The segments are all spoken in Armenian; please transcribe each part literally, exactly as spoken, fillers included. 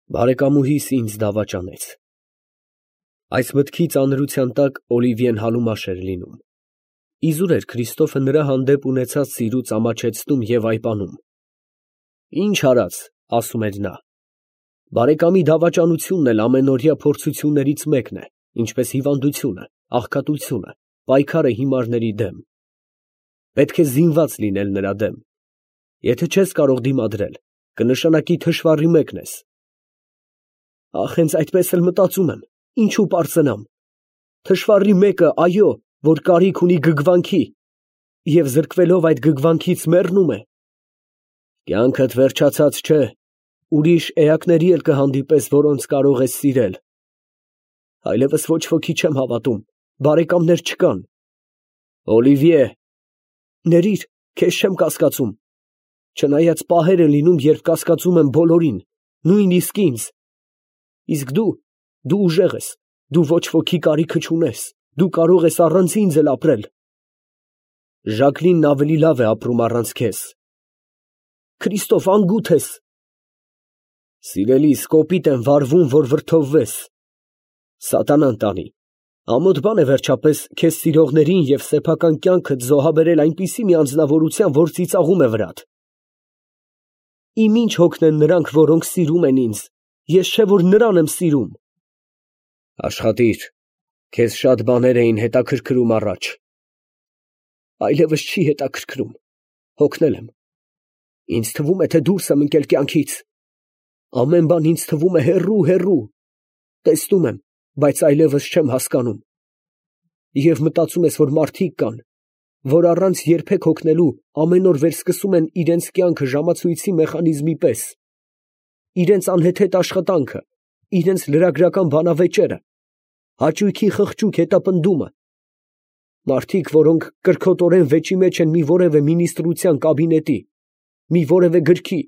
Բարեկամուհիս ինձ դավաճանեց։ Այս մտքի ծանրության տակ Օլիվիեն համեմաշ էր լինում։ Իզուր էր Քրիստոֆը նրա հանդեպ ունեցած սիրուց ամաչեցնում և այպանում։ Ինչ արած, ասում էր նա, բարեկամի դավաճանությունն էլ ամենօրյա փորձություններից մեկն է, ինչպես հիվանդությունը, աղքատությունը, պայքարը հիմարների դեմ։ Պետք է զինված լինել նրա դեմ։ Եթե չես կարող դիմադրել, կնշանակի թշվառի մեկն ես։ Ախ, հենց այդպես էլ մտածում եմ, ինչու պարծենամ։ Թշվառի մեկը, այո, որ կարիք ունի գգվանքի և զրկվելով այդ գգվանքից մեռնում է։ Կյանքդ վերջացած չէ, ուրիշ էակների էլ կհանդիպես, որոնց կարող ես սիրել։ Այլևս ոչ ոքի չեմ հավատում, բարեկամներ չկան։ Օլիվիե, ներիր, քեզ չեմ կասկածում, չնայած պահեր են լինում, երբ կասկածում եմ բոլորին, նույնիսկ ինձ։ Իսկ դու, դու ուժեղ ես, դու ոչ ոքի կարիքը չունես, դու կարող ես առանց ինձ էլ ապրել։ Ժակլինն ավելի լավ է ապրում առանց քեզ։ Քրիստոֆ, անգութ ես։ Սիրելիս, կոպիտ եմ վարվում, որ վրդովվես։ Սատանան տանի։ Ամոթ բան է վերջապես քեզ սիրողներին և սեփական կյանքդ զոհաբերել այնպիսի մի անձնավորության, որ ծիծաղում է վրադ։ Իմ ինչ հոգնեն նրանք, որոնք սիրում են ինձ, ես չէ որ նրան եմ սիրում։ Աշխատիր, քեզ շատ բաներ էին հետաքրքրում առաջ։ Այլևս չի հետաքրքրում, հոգնել եմ։ Ինձ թվում է, թե դուրս եմ ընկել կյանքից։ Ամեն բան ինձ թվում է հեռու, հեռու։ Տեսնում եմ, բայց այլևս չեմ հասկանում։ Եվ մտածում ես, որ մարդիկ կան, որ առանց երբեք հոգնելու ամեն օր վերսկսում են իրենց կյանքը ժամացույցի մեխանիզմի պես։ Իրենց անհեթեթ աշխատանքը, իրենց լրագրական բանավեճերը, հաճույքի խղճուկ հետապնդումը։ Մարդիկ, որոնք կրքոտորեն վեճի մեջ են մի որևէ մինիստրության կաբինետի, մի որևէ գրքի,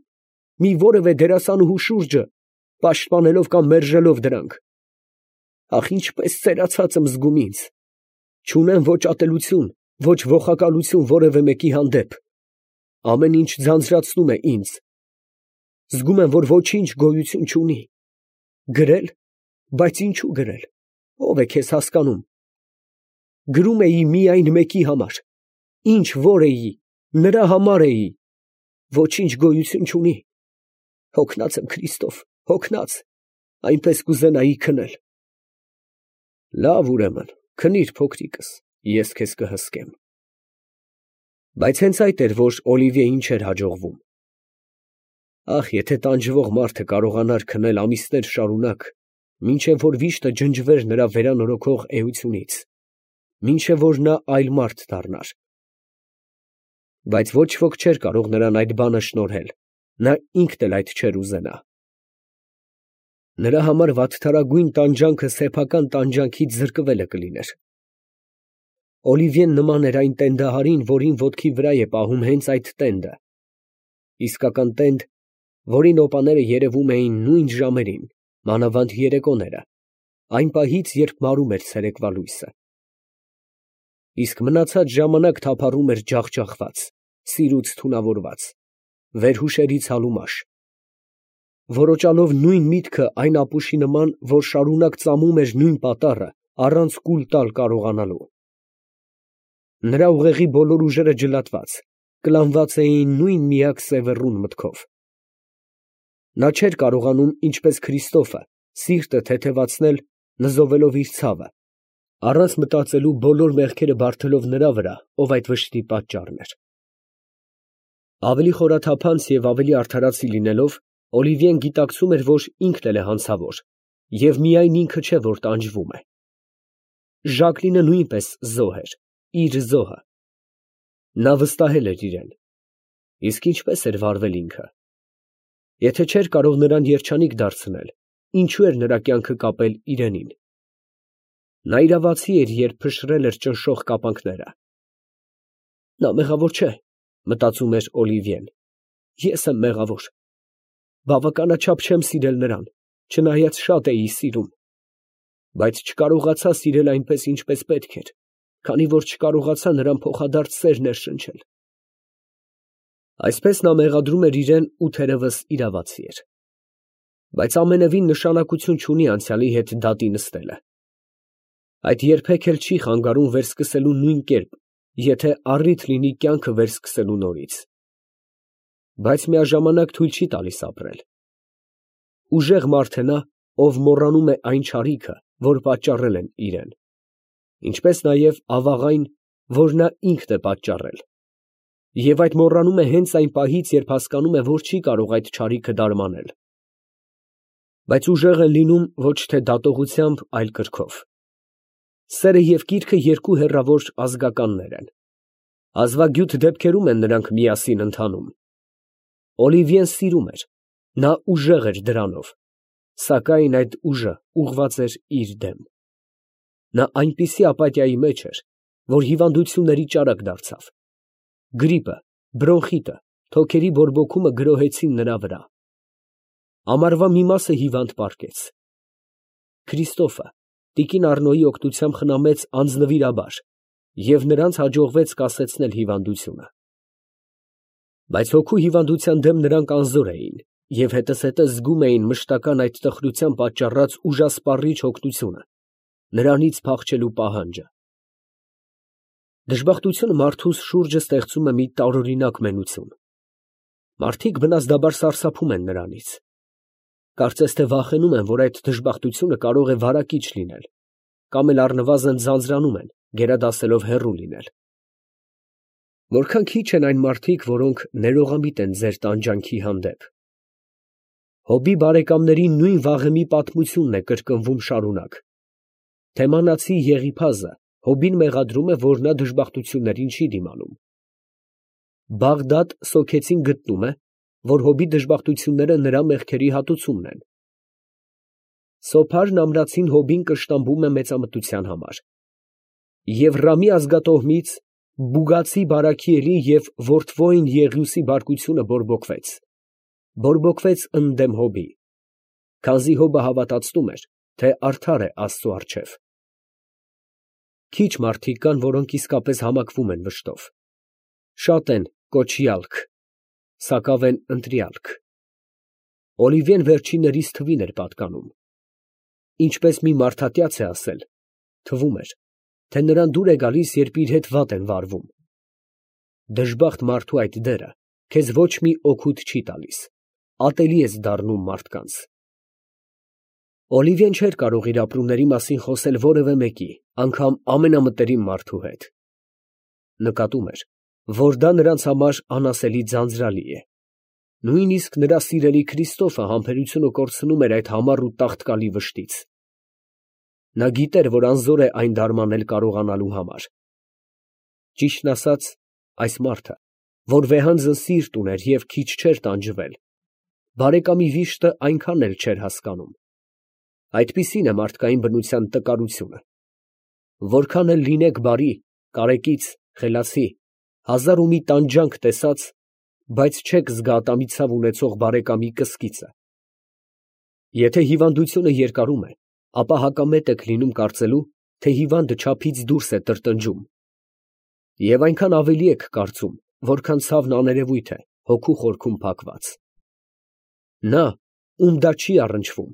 մի որևէ դերասանուհու շուրջը, պաշտպանելով կամ մերժելով դրանք։ Ախ, ինչպես ծերացած եմ զգում ինձ։ Չունեմ ոչ ատելություն, ոչ ոխակալություն որևէ մեկի հանդեպ։ Ամեն ինչ ձանձրացնում է ինձ։ Զգում եմ, որ ոչինչ գոյություն չունի։ Գրել, բայց ինչու գրել, ով է քեզ հասկանում։ Գրում էի միայն մեկի համար, ինչ որ էի, նրա համար էի, ոչինչ գոյություն չունի։ Հոգնած եմ, Քրիստոֆ, հոգնած, այնպես կուզենայի քնել։ Լավ, ուրեմն, քնիր, փոքրիկս, ես քեզ կհսկեմ։ Բայց հենց այդ էր, որ Օլիվիեին չէր հաջողվում։ Ախ, եթե տանջվող մարդը կարողանար քնել ամիսներ շարունակ, մինչև որ վիշտը ջնջվեր նրա վերանորոգող էությունից, մինչև որ նա այլ մարդ դառնար։ Բայց ոչ ոք չէր կարող նրան այդ բանը շնորհել, նա ինքն էլ այդ չէր ուզենա։ Նրա համար վատթարագույն տանջանքը սեփական տանջանքից զրկվելը կլիներ։ Օլիվիեն նման էր այն տենդահարին, որին ոտքի վրա է պահում հենց այդ տենդը, իսկական տենդ, որի նոպաները երևում էին նույն ժամերին, մանավանդ երեկոները, այն պահից, երբ մարում էր ցերեկվա լույսը։ Իսկ մնացած ժամանակ թափառում էր ջախջախված, սիրուց թունավորված, վերհուշերից հալումաշ, որոճալով նույն միտքը այն ապուշի նման, որ շարունակ ծամում էր նույն պատառը, առանց կուլ տալ կարողանալու։ Նրա ուղեղի բոլոր ուժերը ջլատված, կլանված էին նույն միակ սևեռուն մտքով։ Նա չէր կարողանում, ինչպես Քրիստոֆը, սիրտը թեթևացնել, նզովելով իր ցավը, առանց մտածելու բոլոր մեղքերը բարդելով նրա վրա, ով այդ վշտի պատճառն էր։ Ավելի խորաթափանց և ավելի արդարացի լինելով, Օլիվիեն գիտակցում էր, որ ինքն էլ է հանցավոր, և միայն ինքը չէ, որ տանջվում է։ Ժակլինը նույնպես զոհ էր, իր զոհը։ Նա վստահել էր իրեն։ Իսկ ինչպես էր վարվել ինքը։ Եթե չէր կարող նրան երջանիկ դարձնել, ինչու էր նրա կյանքը կապել իրենին։ Նա իրավացի էր, երբ փշրել էր ճնշող կապանքները։ Նա մեղավոր չէ, մտածում էր Օլիվիեն։ Ես եմ մեղավոր։ Բավականաչափ չեմ սիրել նրան, չնայած շատ էի սիրում։ Բայց չկարողացա սիրել այնպես, ինչպես պետք էր, քանի որ չկարողացա նրան փոխադարձ սեր ներշնչել։ Այսպես նա մեղադրում էր իրեն ու թերևս իրավացի էր։ Բայց ամենևին նշանակություն չունի անցյալի հետ դատի նստելը։ Այդ երբեք էլ չի խանգարում վերսկսելու նույն կերպ, եթե առիթ լինի կյանքը վերսկսելու նորից։ Բայց միաժամանակ թույլ չի տալիս ապրել։ Ուժեղ մարդ է նա, ով մոռանում է այն չարիքը, որ պատճառել են իրեն, ինչպես նաև ավաղ այն, որ նա ինքն է պատճառել, և այդ մոռանում է հենց այն պահից, երբ հասկանում է, որ չի կարող այդ չարիքը դարմանել։ Բայց ուժեղ են լինում ոչ թե դատողությամբ, այլ կրքով։ Սերը և կիրքը երկու հեռավոր ազգականներ են։ Ազվագյուտ դեպքերում են նրանք միասին ընթանում։ Օլիվիեն սիրում էր, նա ուժեղ էր դրանով, սակայն այդ ուժը ուղղված էր իր դեմ։ Նա այնպիսի ապաթիայի մեջ էր, որ հիվանդությունների ճարակ դարձավ։ Գրիպը, բրոնխիտը, թոքերի բորբոքումը գրոհեցին նրա վրա։ Ամառվա մի մասը հիվանդ պառկեց։ Քրիստոֆը տիկին Առնոյի օգնությամբ խնամեց անձնվիրաբար, և նրանց հաջողվեց կասեցնել հիվանդությունը։ Բայց հոգու հիվանդության դեմ նրանք անզոր էին և հետզհետե զգում էին մշտական այդ տխրության պատճառած ուժասպառիչ հոգնությունը, նրանից փախչելու պահանջը։ Դժբախտությունը մարդուս շուրջը ստեղծում է մի տարօրինակ մենություն։ Մարդիկ բնազդաբար սարսափում են նրանից։ Կարծես թե վախենում են, որ այդ դժբախտությունը կարող է վարակիչ լինել, կամ էլ առնվազն ձանձրանում են, գերադասելով հեռու լինել։ Որքան քիչ են այն մարդիկ, որոնք ներողամիտ են ձեր տանջանքի հանդեպ։ Հոբի բարեկամների նույն վաղեմի պատմությունն է կրկնվում շարունակ։ Թեմանացի Եղիփազը Հոբին մեղադրում է, որ նա դժբախտություններին չի դիմանում։ Բաղդադ Սոքեցին գտնում է, որ Հոբի դժբախտությունները նրա մեղքերի հատուցումն են։ Սոփարն ամրացին Հոբին կշտամբում է մեծամտության համար։ Եվ Ռամի ազգատոհմից Բուգացի Բարաքիելի և Որթվոյն Եղիուսի բարկությունը բորբոքվեց։ Բորբոքվեց ընդդեմ Հոբի, քանզի Հոբը հավատացնում էր, թե արդար է Աստծու առջև։ Քիչ մարդիկ կան, որոնք իսկապես համակվում են վշտով։ Շատ են կոչյալք, սակավ են ընտրյալք։ Օլիվիեն վերջիններից թվին էր պատկանում։ Ինչպես մի մարդատյաց է ասել, թվում էր, թե նրան դուր է գալիս, երբ իր հետ վատ են վարվում։ Դժբախտ մարդու այդ դերը քեզ ոչ մի օգուտ չի տալիս, ատելի ես դառնում մարդկանց։ Օլիվիեն չէր կարող իր ապրումների մասին խոսել որևէ մեկի, անգամ ամենամտերիմ մարդու հետ։ Նկատում էր, որ դա նրանց համար անասելի ձանձրալի է։ Նույնիսկ նրա սիրելի Քրիստոֆը համբերությունը կորցնում էր այդ համառ ու տաղտկալի վշտից։ Նա գիտեր, որ անզոր է այն դարմանել կարողանալու համար։ Ճիշտն ասած, այս մարդը, որ վեհանձն սիրտ ուներ և քիչ չէր տանջվել, բարեկամի վիշտը այնքան էլ չէր հասկանում։ Այդպիսին է մարդկային բնության տկարությունը։ Որքան էլ լինեք բարի, կարեկից, խելացի, հազար ու մի տանջանք տեսած, բայց չեք զգա ատամի ցավ ունեցող բարեկամի կսկիծը։ Եթե հիվանդությունը երկարում է, ապա հակամետ եք լինում կարծելու, թե հիվանդը չափից դուրս է տրտնջում, և այնքան ավելի եք կարծում, որքան ցավն աներևույթ է հոգու խորքում փակված։ Նա, ում դա չի առնչվում,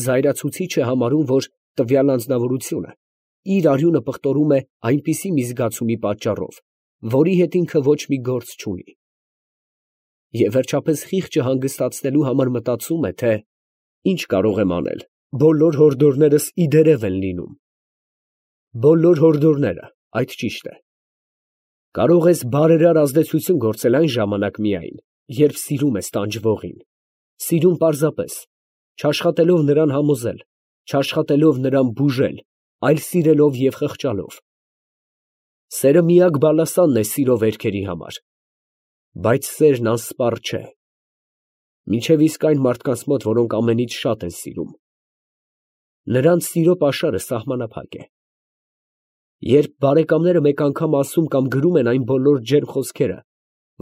զայրացուցիչ է համարում, որ տվյալ անձնավորությունը իր արյունը պղտորում է այնպիսի մի զգացումի պատճառով, որի հետ ինքը ոչ մի գործ չունի։ Եվ վերջապես խիղճը հանգստացնելու համար մտածում է, թե ինչ կարող եմ անել, բոլոր հորդորներս իդերև են լինում։ Բոլոր հորդորները, այդ ճիշտ է։ Կարող ես բարերար ազդեցություն գործել այն ժամանակ միայն, երբ սիրում ես տանջվողին, սիրում պարզապես, չաշխատելով նրան համոզել, չաշխատելով նրան բուժել, այլ սիրելով և խղճալով։ Սերը միակ բալասանն է սիրո վերքերի համար, բայց սերն անսպառ չէ, մինչև իսկ այն մարդկանց մոտ, որոնք ամենից շատ են սիրում։ Նրանց սիրո պաշարը սահմանափակ է։ Երբ բարեկամները մեկ անգամ ասում կամ գրում են այն բոլոր ջերմ խոսքերը,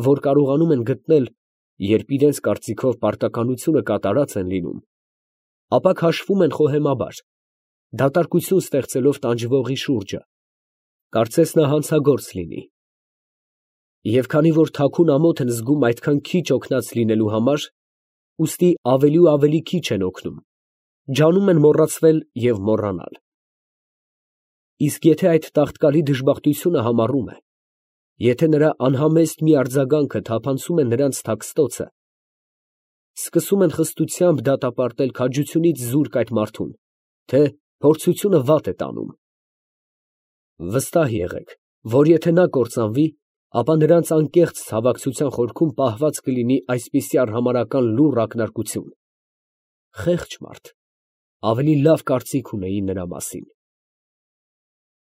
որ կարողանում են գտնել, երբ իրենց կարծիքով պարտականությունը կատարած են լինում, ապա քաշվում են խոհեմաբար, դատարկություն ստեղծելով տանջվողի շուրջը, կարծես նա հանցագործ լինի։ Եվ քանի որ թաքուն ամոթ են զգում այդքան քիչ օգնած լինելու համար, ուստի ավելի ու ավելի քիչ են օգնում, ջանում են մոռացվել և մոռանալ։ Իսկ եթե այդ տաղտկալի դժբախտությունը համառում է, եթե նրա անհամեստ մի արձագանքը թափանցում է նրանց թաքստոցը, սկսում են խստությամբ դատապարտել քաջությունից զուրկ այդ մարդուն, թե փորձությունը վատ է տանում։ Վստահ եղեք, որ եթե նա կործանվի, ապա նրանց անկեղծ ցավակցության խորքում պահված կլինի այսպիսի արհամարհական լուռ ակնարկություն. խեղճ մարդ, ավելի լավ կարծիք ունեի նրա մասին։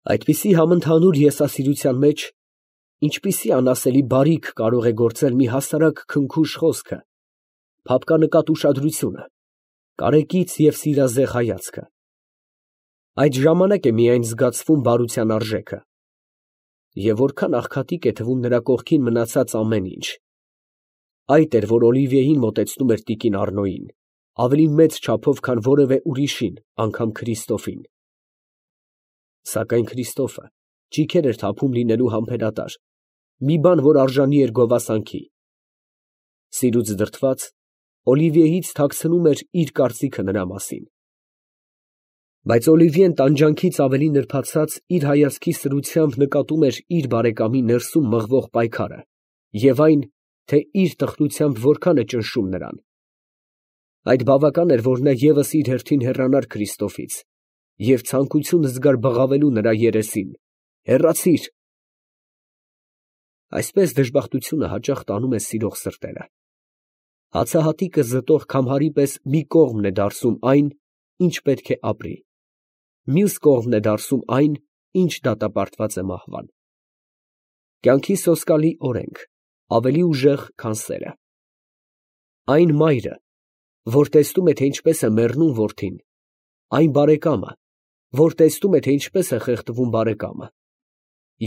Այդպիսի համընդհանուր եսասիրության մեջ ինչպիսի անասելի բարիք կարող է գործել մի հասարակ քնքուշ խոսքը, փափկանկատ ուշադրությունը, կարեկից և սիրազեղ հայացքը։ Այդ ժամանակ է միայն զգացվում բարության արժեքը, և որքան աղքատիկ է թվում նրա կողքին մնացած ամեն ինչ։ Այդ էր, որ Օլիվիեին մոտեցնում էր տիկին Առնոյին, ավելի մեծ չափով, քան որևէ ուրիշին, անգամ Քրիստոֆին։ Սակայն Քրիստոֆը ճիգեր էր թափում լինելու համբերատար, մի բան, որ արժանի էր գովասանքի։ Սիրուց դրդված, Օլիվիեից թաքցնում էր իր կարծիքը նրա մասին։ Բայց Օլիվիեն տանջանքից ավելի նրբացած իր հայացքի սրությամբ նկատում էր իր բարեկամի ներսում մղվող պայքարը և այն, թե իր տխրությամբ որքան է ճնշում նրան։ Այդ բավական էր, որ նա ևս իր հերթին հեռանար Քրիստոֆից և ցանկություն զգար բղավելու նրա երեսին. «Հեռացի՛ր»։ Այսպես դժբախտությունը հաճախ տանում է սիրող սրտերը։ Հացահատիկը զտող քամարի պես մի կողմն է դարսում այն, ինչ պետք է ապրի, մյուս կողմն է դարսում այն, ինչ դատապարտված է մահվան։ Կյանքի սոսկալի օրենք, ավելի ուժեղ, քան սերը։ Այն մայրը, որ տեսնում է, թե ինչպես է մեռնում որդին, այն բարեկամը, որ տեսնում է, թե ինչպես է խեղդվում բարեկամը,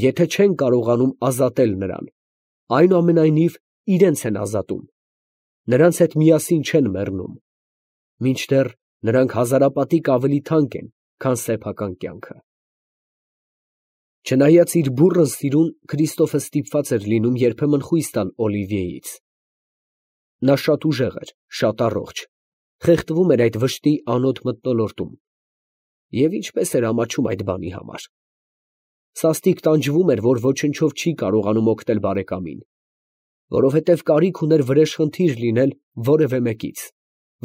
եթե չեն կարողանում ազատել նրան, այնուամենայնիվ իրենց են ազատում, նրանց հետ միասին չեն մեռնում, մինչդեռ նրանք հազարապատիկ ավելի թանկ են, քան սեփական կյանքը։ Չնայած իր բուռն սիրուն, Քրիստոֆը ստիպված էր լինում երբեմն խույս տալ Օլիվիեից։ Նա շատ ուժեղ էր, շատ առողջ, խեղդվում էր այդ վշտի անոտ մթնոլորտում, և ինչպես էր ամաչում այդ բանի համար։ Սաստիկ տանջվում էր, որ ոչնչով չի կարողանում օգնել բարեկամին, որովհետև կարիք ուներ վրեժխնդիր լինել որևէ մեկից,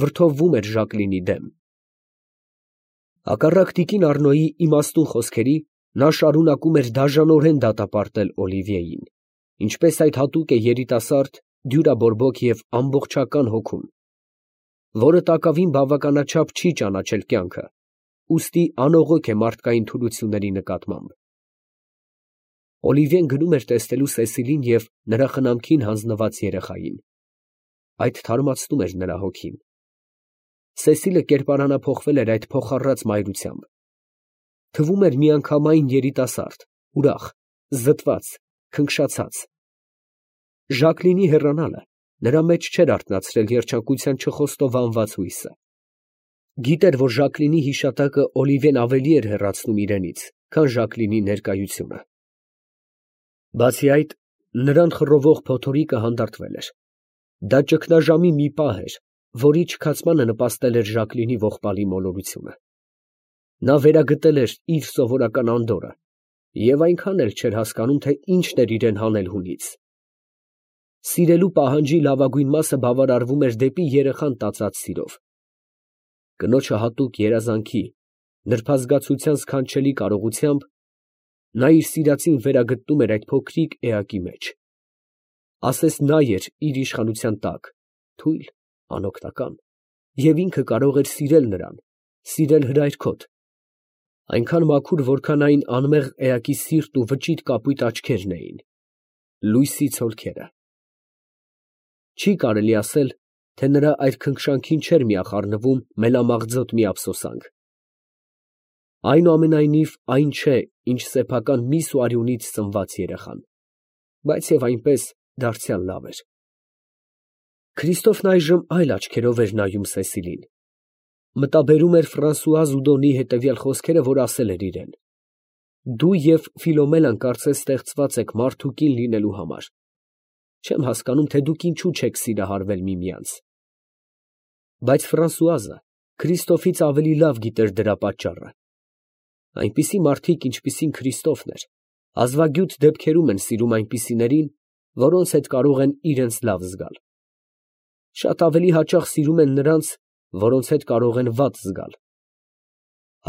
վրդովվում էր Ժակլինի դեմ։ Հակառակ տիկին Առնոյի իմաստուն խոսքերի, նա շարունակում էր դաժանորեն դատապարտել Օլիվիեին, ինչպես այդ հատուկ է երիտասարդ, դյուրաբորբոք և ամբողջական հոգուն, որը տակավին բավականաչափ չի ճանաչել կյանքը, ուստի անողոք է մարդկային թուլությունների նկատմամբ։ Օլիվիեն գնում էր տեսնելու Սեսիլին և նրա խնամքին հանձնված երեխային։ Այդ թարմացնում էր նրա հոգին։ Սեսիլը կերպարանափոխվել էր այդ փոխառած մայրությամբ։ Թվում էր միանգամայն երիտասարդ, ուրախ, զտված, քնքշացած։ Ժակլինի հեռանալը նրա մեջ չէր արթնացրել երջանկության չխոստովանված հույսը։ Գիտեր, որ Ժակլինի հիշատակը Օլիվիեն ավելի էր հեռացնում իրենից, քան Ժակլինի ներկայությունը։ Բացի այդ, նրան խռովող փոթորիկը հանդարտվել էր։ Դա ճգնաժամի մի պահ էր, որի չքացմանը նպաստել էր Ժակլինի ողբալի մոլորությունը։ Նա վերագտել էր իր սովորական անդորրը և այնքան էլ չէր հասկանում, թե ինչն էր իրեն հանել հունից։ Սիրելու պահանջի լավագույն մասը բավարարվում էր դեպի երեխան տածած սիրով։ Կնոջը հատուկ երազանքի, նրբազգացության սքանչելի կարողությամբ նա իր սիրածին վերագտնում էր այդ փոքրիկ էակի մեջ։ Ասես նա էր իր իշխանության տակ, թույլ, անօգնական, և ինքը կարող էր սիրել նրան, սիրել հրայրքոտ, այնքան մաքուր, որքան այն անմեղ էակի սիրտն ու վճիտ կապույտ աչքերն էին, լույսի ցոլքերը։ Չի կարելի ասել, թե նրա այդ քնքշանքին չէր միախառնվում մելամաղձոտ մի ափսոսանք։ Այնուամենայնիվ այն չէ, ինչ սեփական միս ու արյունից ծնված երեխան, բայց և այնպես դարձյալ լավ էր։ Քրիստոֆն այժմ այլ աչքերով էր նայում Սեսիլին։ Մտաբերում էր Ֆրանսուଆ Զուդոնի հետևյալ խոսքերը, որ ասել էր իրեն. «Դու և Ֆիլոմելան կարծես ստեղծված եք մարդ ու կին լինելու համար։ Չեմ հասկանում, թե դուք ինչու չեք սիրահարվել միմյանց»։ Բայց Ֆրանսուազը Քրիստոֆից ավելի լավ գիտեր դրա պատճառը։ Այնպիսի մարդիկ, ինչպիսին Քրիստոֆն էր, հազվագյուտ դեպքերում են սիրում այնպիսիներին, որոնց հետ կարող են իրենց լավ զգալ։ Շատ ավելի հաճախ սիրում են նրանց, որոնց հետ կարող են վատ զգալ։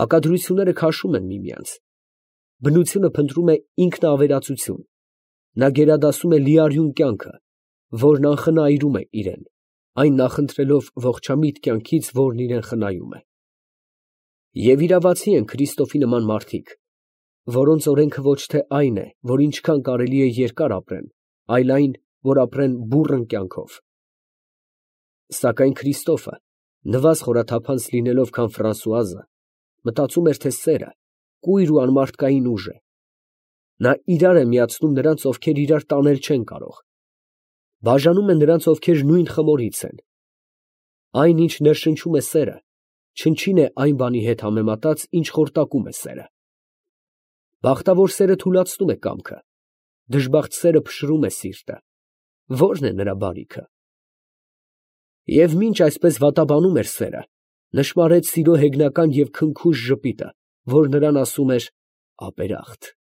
Հակադրությունները քաշում են միմյանց։ Բնությունը փնտրում է ինքնաավերածություն։ Նա գերադասում է լիարյուն կյանքը, որն անխնայում է իրեն, այն նախընտրելով ողջամիտ կյանքից, որն իրեն խնայում է։ Եվ իրավացի են Քրիստոֆի նման մարդիկ, որոնց օրենքը ոչ թե այն է, որ ինչքան կարելի է երկար ապրեն, այլ այն, որ ապրեն բուռն կյանքով։ Սակայն Քրիստոֆը, նվազ խորաթափանց լինելով, քան Ֆրանսուազը, մտածում էր, թե սերը կույր ու անմարդկային ուժ է։ Նա իրար է միացնում նրանց, ովքեր իրար տանել չեն կարող։ Բաժանում է նրանց, ովքեր նույն խմորից են։ Այն, ինչ ներշնչում է սերը, չնչին է այն բանի հետ համեմատած, ինչ խորտակում է սերը։ Բախտավոր սերը թուլացնում է կամքը, դժբախտ սերը փշրում է սիրտը։ Ո՞րն է նրա բարիքը։ Եվ մինչ այսպես վատաբանում էր սերը, նշմարեց սիրո հեգնական և քնքուշ ժպիտը, որ նրան ասում էր. «Ապերախտ»։